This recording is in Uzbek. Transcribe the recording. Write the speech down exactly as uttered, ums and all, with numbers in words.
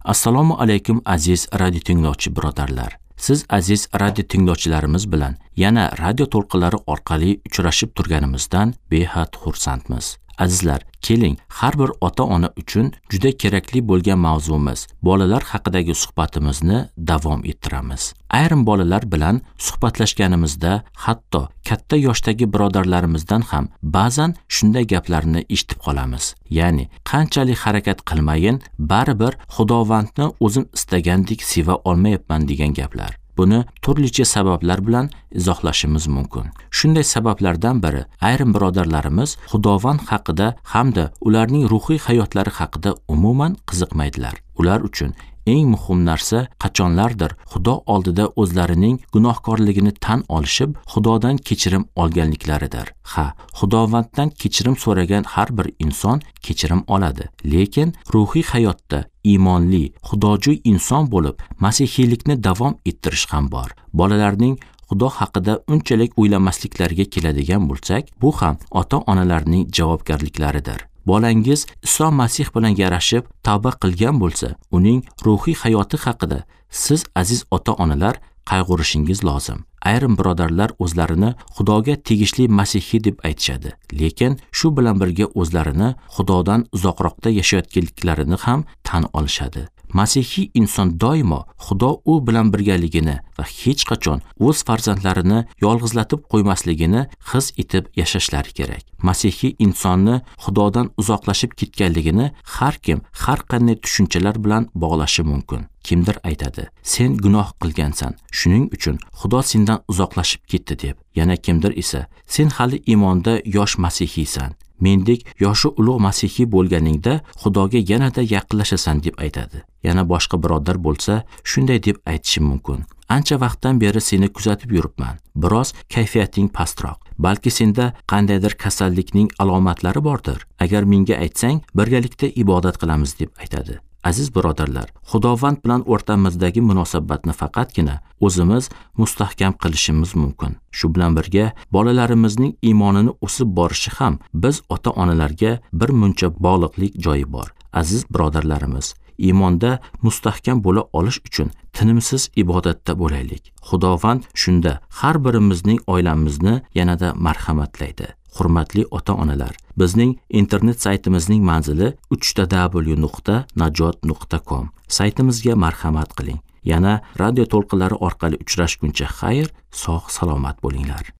Assalomu alaykum aziz radio tinglovchi birodarlar. Siz aziz radio tinglovchilarimiz bilan yana radio to'lqinlari orqali uchrashib turganimizdan behad xursandmiz. Azizlar, keling, har bir ota-ona uchun juda kerakli bo'lgan mavzumiz bolalar haqidagi suhbatimizni davom ettiramiz. Ayrim bolalar bilan suhbatlashganimizda hatto katta yoshdagi birodarlarimizdan ham ba'zan shunday gaplarni eshitib qolamiz. Ya'ni qanchalik harakat qilmayin, baribir Xudovandni o'zim istagandek seva olmayapman degan gaplar. Buni turlicha sabablar bilan izohlashimiz mumkin. Shunday sabablardan biri, ayrim birodarlarimiz Xudovand haqida hamda ularning ruhiy hayotlari haqida umuman qiziqmaydilar. Ular uchun eng muhim narsa qachonlardir Xudo oldida o'zlarining gunohkorligini tan olishib, Xudodan kechirim olganliklaridir. Ha, Xudovanddan kechirim so'ragan har bir inson kechirim oladi. Lekin ruhiy hayotda iymonli, xudojo'y inson bo'lib, masihiylikni davom ettirish ham bor. Bolalarning Xudo haqida unchalik o'ylamasliklariga keladigan bo'lsak, bu ham ota-onalarning javobgarliklaridir. Bolangiz Iso Masih bilan yarashib tavba qilgan bo'lsa, uning ruhiy hayoti haqida siz aziz ota-onalar qayg'urishingiz lozim. Ayrim birodarlar o'zlarini Xudoga tegishli masihiy deb aytishadi, lekin shu bilan birga o'zlarini Xudodan uzoqroqda yashayotganliklarini ham tan olishadi. Masihiy inson doimo Xudo u bilan birgaligini va hech qachon o'z farzandlarini yolg'izlatib qo'ymasligini his etib yashashlari kerak. Masihiy insonni Xudodan uzoqlashib ketganligini har kim har qanday tushunchalar bilan bog'lashi mumkin. Kimdir aytadi, sen gunoh qilgansan, shuning uchun Xudo sendan uzoqlashib ketdi deb. Yana kimdir esa, sen hali iymonda yosh masihiysan, mendek yoshi ulug' masihiy bo'lganingda Xudoga yanada yaqinlashasan deb aytadi. Yana boshqa birodar bo'lsa, shunday deb aytishi mumkin. Ancha vaqtdan beri seni kuzatib yuribman. Biroz kayfiyating pastroq. Balki senda qandaydir kasallikning alomatlari bordir. Agar menga aytsang, birgalikda ibodat qilamiz deb aytadi. Aziz birodarlar, Xudovand bilan o'rtamizdagi munosabatni faqatgina o'zimiz mustahkam qilishimiz mumkin. Shu bilan birga bolalarimizning iymonini o'sib borishi ham biz ota-onalarga bir muncha bog'liqlik joyi bor. Aziz birodarlarimiz, iymonda mustahkam bo'la olish uchun tinimsiz ibodatda bo'laylik. Xudovand shunda har birimizning oilamizni yanada marhamatlaydi. Hurmatli ota-onalar, bizning internet saytimizning manzili uch ta w nuqta najot nuqta com. Saytimizga marhamat qiling. Yana radio to'lqinlari orqali uchrashguncha xayr, sog' salomat bo'linglar.